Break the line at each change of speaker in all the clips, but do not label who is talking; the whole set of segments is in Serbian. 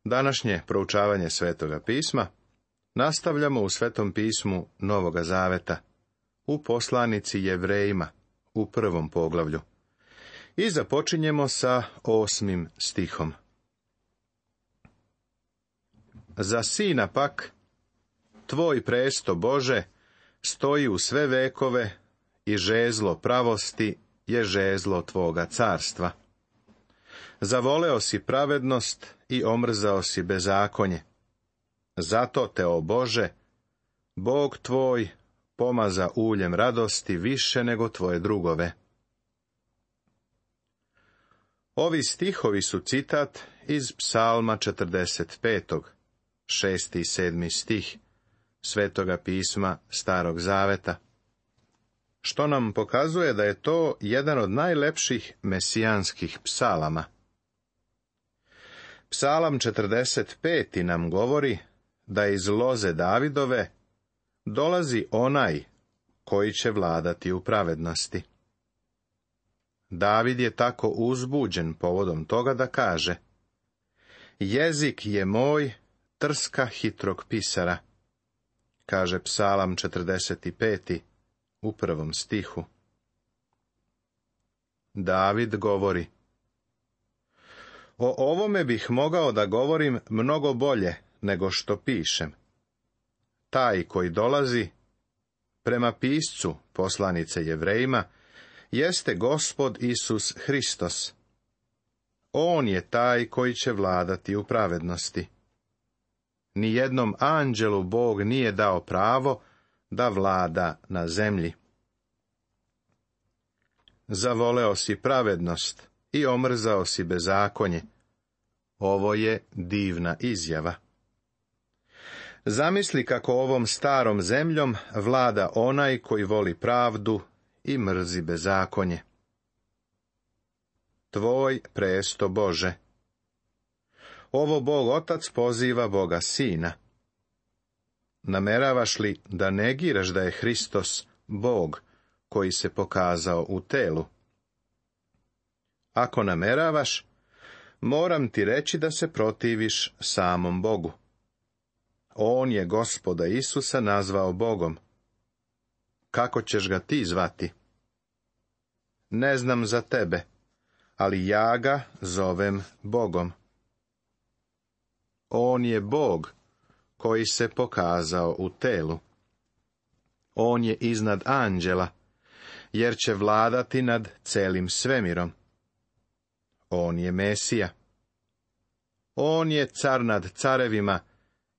Današnje proučavanje Svetoga pisma nastavljamo u Svetom pismu Novoga Zaveta, u poslanici Jevrejima, u 1. poglavlju. I započinjemo sa 8. stihom. Za sina pak, tvoj presto Bože, stoji u sve vekove i žezlo pravosti je žezlo tvoga carstva. Zavoleo si pravednost i omrzao si bezakonje. Zato te, o Bože, Bog tvoj pomaza uljem radosti više nego tvoje drugove. Ovi stihovi su citat iz Psalma 45. 6. i 7. stih Svetoga pisma Starog Zaveta, što nam pokazuje da je to jedan od najlepših mesijanskih psalama. Psalam 45. nam govori da iz loze Davidove dolazi onaj koji će vladati u pravednosti. David je tako uzbuđen povodom toga da kaže: jezik je moj trska hitrog pisara, kaže Psalam 45. u 1. stihu. David govori: o ovome bih mogao da govorim mnogo bolje nego što pišem. Taj koji dolazi, prema piscu poslanice Jevrejima, jeste Gospod Isus Hristos. On je taj koji će vladati u pravednosti. Nijednom anđelu Bog nije dao pravo da vlada na zemlji. Zavoleo si pravednost i omrzao si bezakonje. Ovo je divna izjava. Zamisli kako ovom starom zemljom vlada onaj koji voli pravdu i mrzi bezakonje. Tvoj presto Bože. Ovo Bog Otac poziva Boga Sina. Nameravaš li da negiraš da je Hristos Bog koji se pokazao u telu? Ako nameravaš, moram ti reći da se protiviš samom Bogu. On je Gospoda Isusa nazvao Bogom. Kako ćeš ga ti zvati? Ne znam za tebe, ali ja ga zovem Bogom. On je Bog koji se pokazao u telu. On je iznad anđela, jer će vladati nad celim svemirom. On je Mesija. On je car nad carevima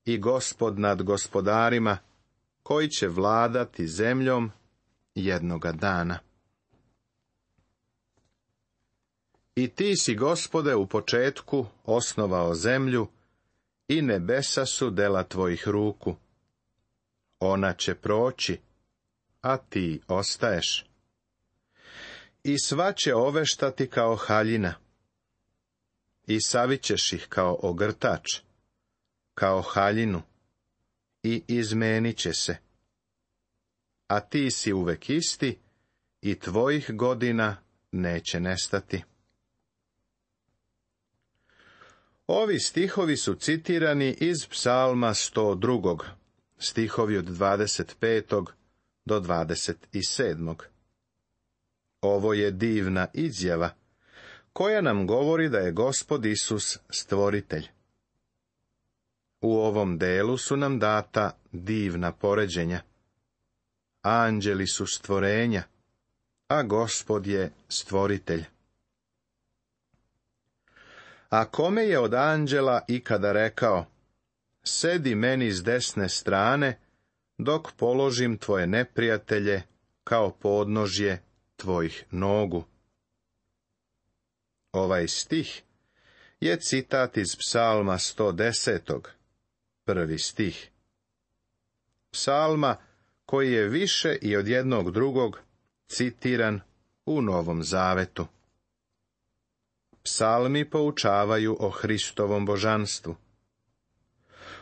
i gospod nad gospodarima, koji će vladati zemljom jednoga dana. I ti si, Gospode, u početku osnovao zemlju i nebesa su dela tvojih ruku. Ona će proći, a ti ostaješ. I sva će oveštati kao haljina, i savićeš ih kao ogrtač, kao haljinu, i izmenit će se. A ti si uvek isti i tvojih godina neće nestati. Ovi stihovi su citirani iz Psalma 102. stihovi od 25. do 27. Ovo je divna izjava koja nam govori da je Gospod Isus stvoritelj. U ovom delu su nam data divna poređenja. Anđeli su stvorenja, a Gospod je stvoritelj. A kome je od anđela ikada rekao: sedi meni s desne strane, dok položim tvoje neprijatelje kao podnožje tvojih nogu? Ovaj stih je citat iz Psalma 110. 1. stih. Psalma koji je više i od jednog drugog citiran u Novom Zavetu. Psalmi poučavaju o Hristovom božanstvu.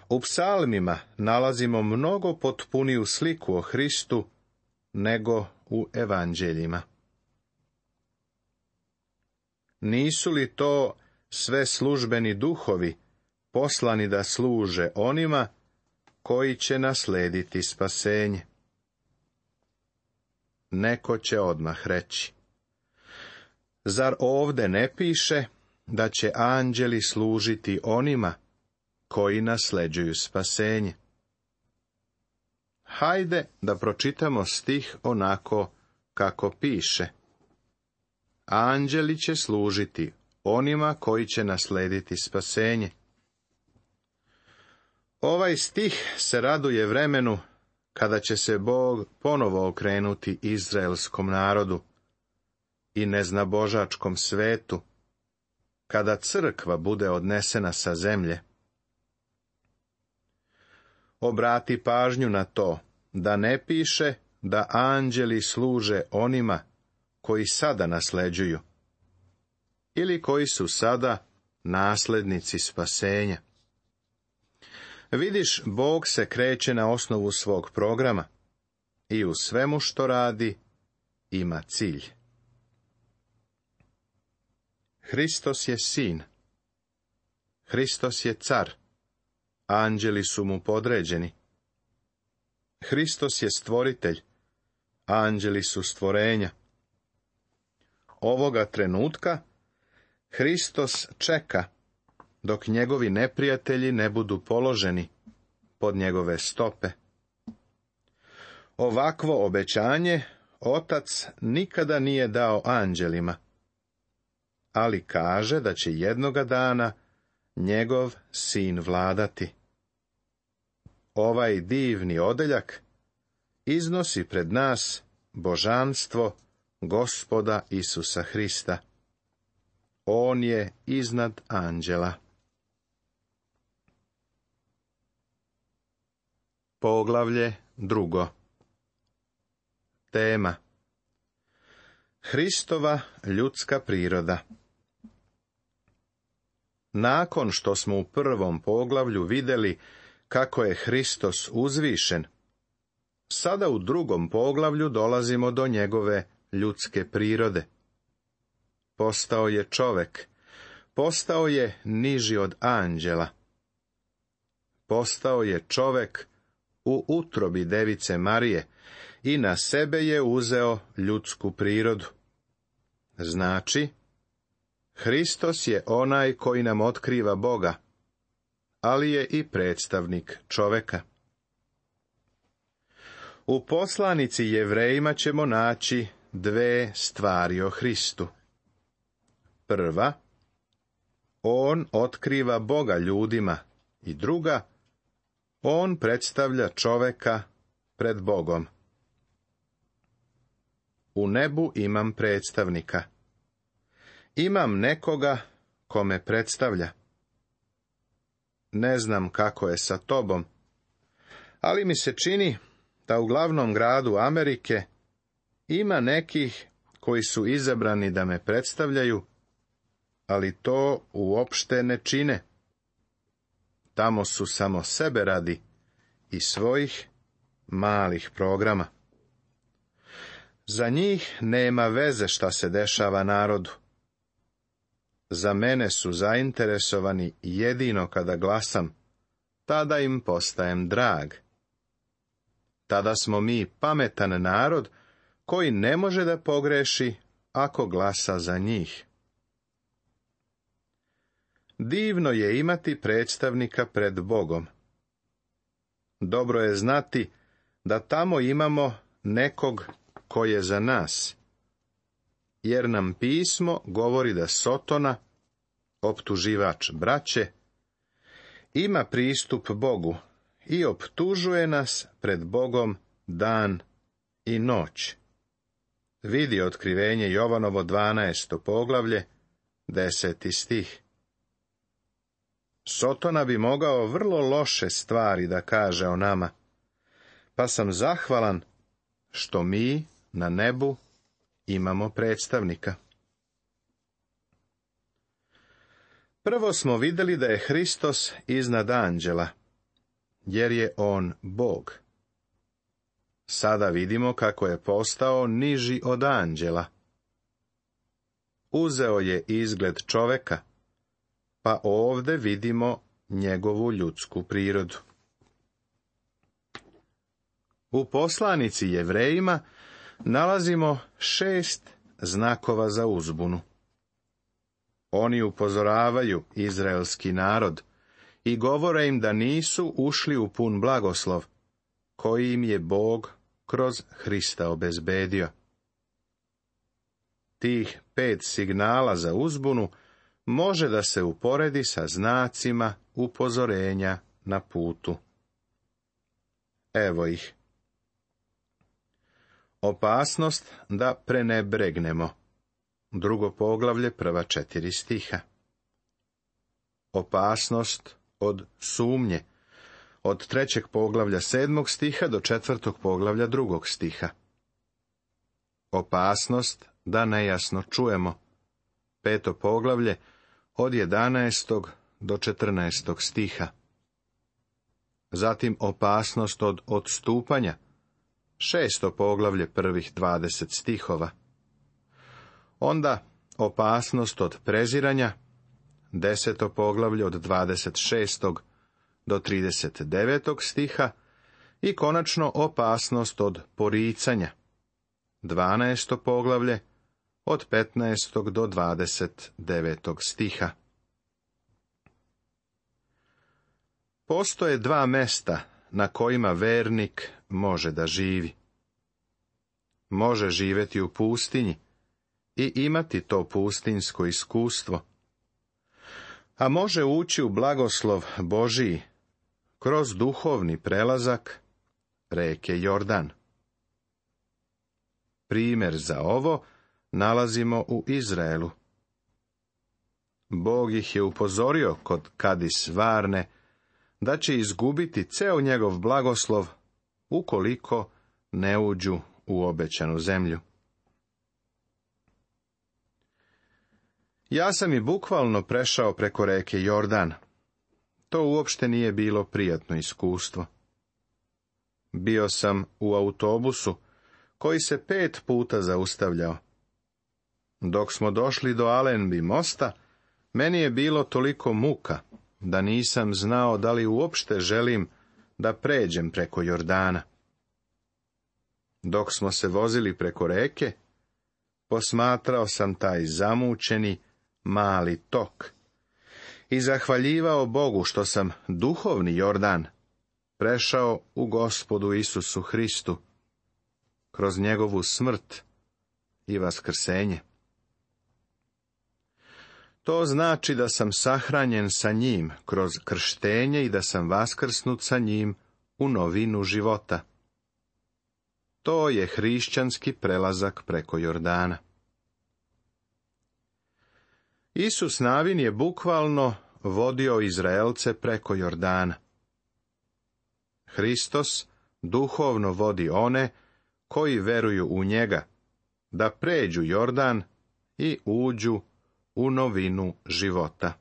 U psalmima nalazimo mnogo potpuniju sliku o Hristu nego u evanđeljima. Nisu li to sve službeni duhovi poslani da služe onima koji će naslediti spasenje. Neko će odmah reći: zar ovde ne piše da će anđeli služiti onima koji nasleđuju spasenje? Hajde da pročitamo stih onako kako piše. Anđeli će služiti onima koji će naslediti spasenje. Ovaj stih se raduje vremenu kada će se Bog ponovo okrenuti izraelskom narodu i neznabožačkom svetu, kada crkva bude odnesena sa zemlje. Obrati pažnju na to da ne piše da anđeli služe onima koji sada nasleđuju ili koji su sada naslednici spasenja. Vidiš, Bog se kreće na osnovu svog programa i u svemu što radi ima cilj. Hristos je sin. Hristos je car. Anđeli su mu podređeni. Hristos je stvoritelj. Anđeli su stvorenja. Ovoga trenutka Hristos čeka dok njegovi neprijatelji ne budu položeni pod njegove stope. Ovakvo obećanje Otac nikada nije dao anđelima, ali kaže da će jednoga dana njegov sin vladati. Ovaj divni odeljak iznosi pred nas božanstvo Gospoda Isusa Hrista. On je iznad anđela. Poglavlje 2. Tema: Hristova ljudska priroda. Nakon što smo u prvom poglavlju vidjeli kako je Hristos uzvišen, sada u drugom poglavlju dolazimo do njegove ljudske prirode. Postao je čovek, postao je niži od anđela. Postao je čovek u utrobi device Marije i na sebe je uzeo ljudsku prirodu. Znači, Hristos je onaj koji nam otkriva Boga, ali je i predstavnik čoveka. U poslanici Jevrejima ćemo naći dve stvari o Hristu. Prva, on otkriva Boga ljudima, i druga, on predstavlja čoveka pred Bogom. U nebu imam predstavnika. Imam nekoga ko me predstavlja. Ne znam kako je sa tobom, ali mi se čini da u glavnom gradu Amerike ima nekih koji su izabrani da me predstavljaju, ali to uopšte ne čine. Tamo su samo sebe radi i svojih malih programa. Za njih nema veze šta se dešava narodu. Za mene su zainteresovani jedino kada glasam, tada im postajem drag. Tada smo mi pametan narod koji ne može da pogreši ako glasa za njih. Divno je imati predstavnika pred Bogom. Dobro je znati da tamo imamo nekog ko je za nas, jer nam pismo govori da Sotona, optuživač braće, ima pristup Bogu i optužuje nas pred Bogom dan i noć. Vidi otkrivenje Jovanovo 12. poglavlje, 10. stih. Sotona bi mogao vrlo loše stvari da kaže o nama, pa sam zahvalan što mi na nebu imamo predstavnika. Prvo smo vidjeli da je Hristos iznad anđela, jer je on Bog. Sada vidimo kako je postao niži od anđela. Uzeo je izgled čoveka, pa ovde vidimo njegovu ljudsku prirodu. U poslanici Jevrejima nalazimo 6 znakova za uzbunu. Oni upozoravaju izraelski narod i govore im da nisu ušli u pun blagoslov, koji im je Bog kroz Hrista obezbedio. Tih 5 signala za uzbunu može da se uporedi sa znacima upozorenja na putu. Evo ih. Opasnost da prenebregnemo. 2. poglavlje, prva 4 stiha. Opasnost od sumnje. Od 3. poglavlja 7. stiha do 4. poglavlja 2. stiha. Opasnost da nejasno čujemo. 5. poglavlje od 11. do 14. stiha. Zatim opasnost od odstupanja. 6. poglavlje, prvih 20 stihova. Onda opasnost od preziranja. 10. poglavlje od 26. do 39. stiha. I konačno opasnost od poricanja. 12. poglavlje od 15. do 29. stiha. Postoje 2 mesta na kojima vernik može da živi. Može živjeti u pustinji i imati to pustinjsko iskustvo, a može ući u blagoslov Božiji kroz duhovni prelazak reke Jordan. Primjer za ovo nalazimo u Izraelu. Bog ih je upozorio kod Kadis Varne da će izgubiti ceo njegov blagoslov ukoliko ne uđu u obećanu zemlju. Ja sam i bukvalno prešao preko reke Jordan. To uopšte nije bilo prijatno iskustvo. Bio sam u autobusu koji se 5 puta zaustavljao. Dok smo došli do Allenby mosta, meni je bilo toliko muka da nisam znao da li uopšte želim da pređem preko Jordana. Dok smo se vozili preko reke, posmatrao sam taj zamućeni mali tok i zahvaljivao Bogu što sam duhovni Jordan prešao u Gospodu Isusu Hristu kroz njegovu smrt i vaskrsenje. To znači da sam sahranjen sa njim kroz krštenje i da sam vaskrsnut sa njim u novinu života. To je hrišćanski prelazak preko Jordana. Isus Navin je bukvalno vodio Izraelce preko Jordana. Hristos duhovno vodi one koji veruju u njega, da pređu Jordan i uđu u novinu života.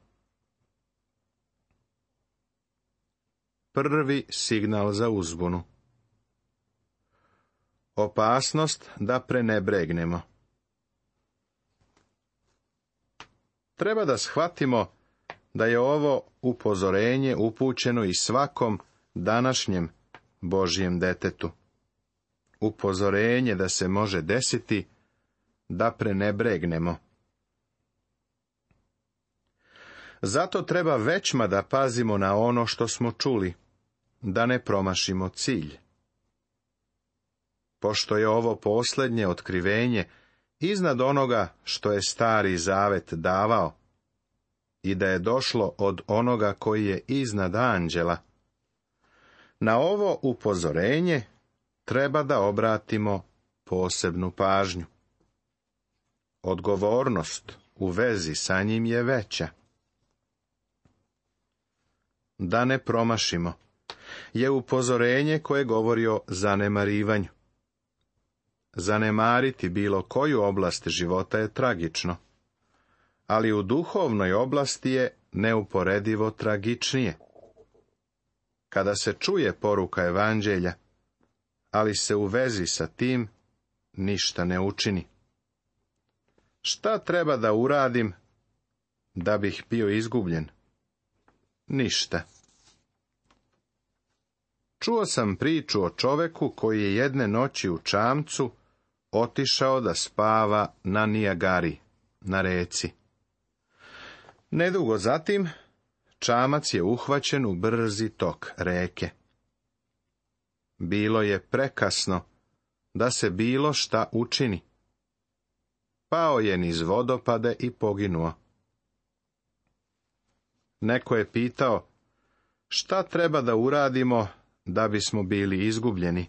Prvi signal za uzbunu. Opasnost da prenebregnemo. Treba da shvatimo da je ovo upozorenje upućeno i svakom današnjem Božjem detetu. Upozorenje da se može desiti da prenebregnemo. Zato treba većma da pazimo na ono što smo čuli, da ne promašimo cilj. Pošto je ovo posljednje otkrivenje iznad onoga što je Stari Zavet davao i da je došlo od onoga koji je iznad anđela, na ovo upozorenje treba da obratimo posebnu pažnju. Odgovornost u vezi sa njim je veća. Da ne promašimo je upozorenje koje govori o zanemarivanju. Zanemariti bilo koju oblast života je tragično, ali u duhovnoj oblasti je neuporedivo tragičnije. Kada se čuje poruka evanđelja, ali se u vezi sa tim ništa ne učini. Šta treba da uradim da bih bio izgubljen? ništa. Čuo sam priču o čoveku koji je jedne noći u čamcu otišao da spava na Nijagari, na reci. Nedugo zatim, čamac je uhvaćen u brzi tok reke. Bilo je prekasno da se bilo šta učini. Pao je niz vodopade i poginuo. Neko je pitao, šta treba da uradimo da bismo bili izgubljeni?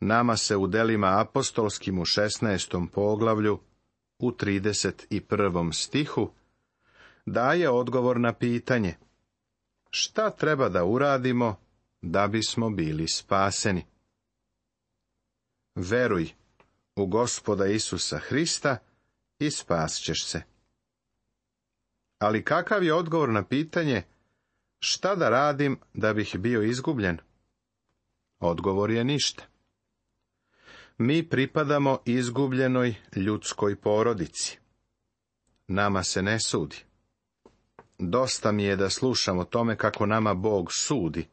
Nama se u delima apostolskim u 16. poglavlju, u 31. stihu, daje odgovor na pitanje, šta treba da uradimo da bismo bili spaseni? Veruj u Gospoda Isusa Hrista i spasćeš se. Ali kakav je odgovor na pitanje, šta da radim da bih bio izgubljen? Odgovor je ništa. Mi pripadamo izgubljenoj ljudskoj porodici. Nama se ne sudi. Dosta mi je da slušam o tome kako nama Bog sudi.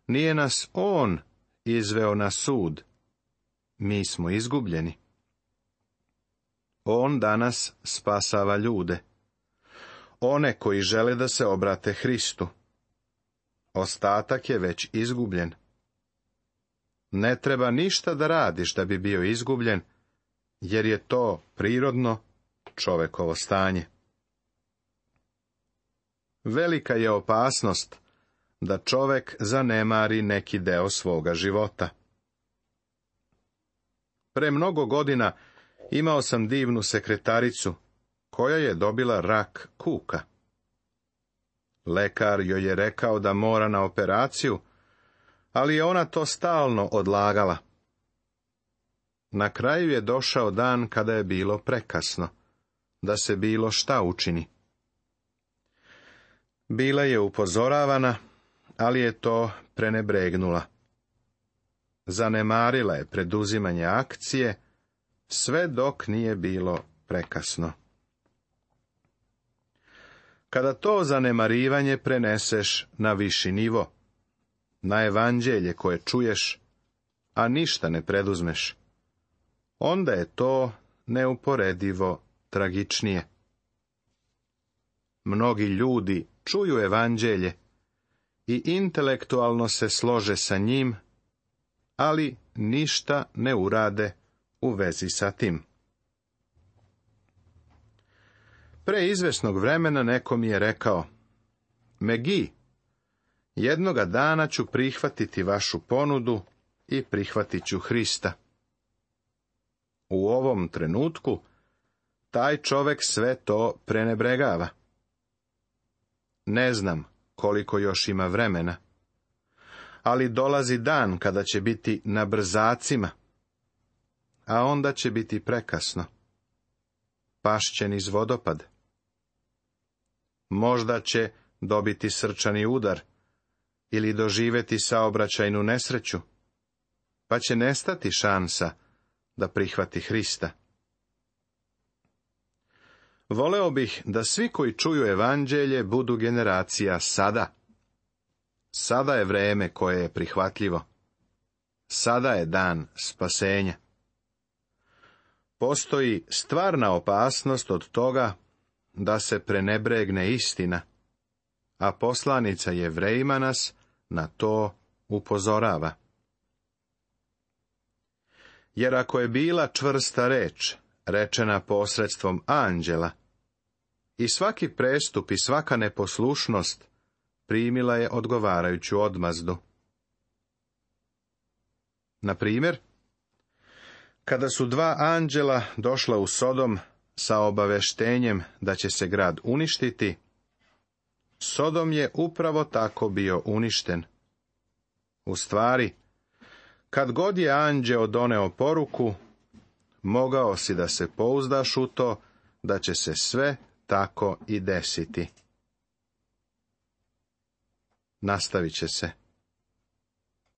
Nije nas On izveo na sud. Mi smo izgubljeni. On danas spasava ljude. One koji žele da se obrate Hristu. Ostatak je već izgubljen. Ne treba ništa da radiš da bi bio izgubljen, jer je to prirodno čovekovo stanje. Velika je opasnost da čovek zanemari neki deo svoga života. Pre mnogo godina imao sam divnu sekretaricu, koja je dobila rak kuka. Lekar joj je rekao da mora na operaciju, ali je ona to stalno odlagala. Na kraju je došao dan kada je bilo prekasno, da se bilo šta učini. Bila je upozoravana, ali je to prenebregnula. Zanemarila je preduzimanje akcije, sve dok nije bilo prekasno. Kada to zanemarivanje preneseš na viši nivo, na evanđelje koje čuješ, a ništa ne preduzmeš, onda je to neuporedivo tragičnije. Mnogi ljudi čuju evanđelje i intelektualno se slože sa njim, ali ništa ne urade u vezi sa tim. Pre izvesnog vremena neko mi je rekao, Megi, jednoga dana ću prihvatiti vašu ponudu i prihvatit ću Hrista. U ovom trenutku taj čovek sve to prenebregava. Ne znam koliko još ima vremena, ali dolazi dan kada će biti na brzacima, a onda će biti prekasno. Pašće niz vodopad. Možda će dobiti srčani udar ili doživeti saobraćajnu nesreću, pa će nestati šansa da prihvati Hrista. Voleo bih da svi koji čuju evanđelje budu generacija sada. Sada je vreme koje je prihvatljivo. Sada je dan spasenja. Postoji stvarna opasnost od toga da se prenebregne istina, a poslanica Jevrejima nas na to upozorava. Jer ako je bila čvrsta reč, rečena posredstvom anđela, i svaki prestup i svaka neposlušnost primila je odgovarajuću odmazdu. Na primjer, kada su dva anđela došla u Sodom sa obaveštenjem da će se grad uništiti, Sodom je upravo tako bio uništen. U stvari, kad god je anđeo doneo poruku, mogao si da se pouzdaš u to da će se sve tako i desiti. Nastavit će se.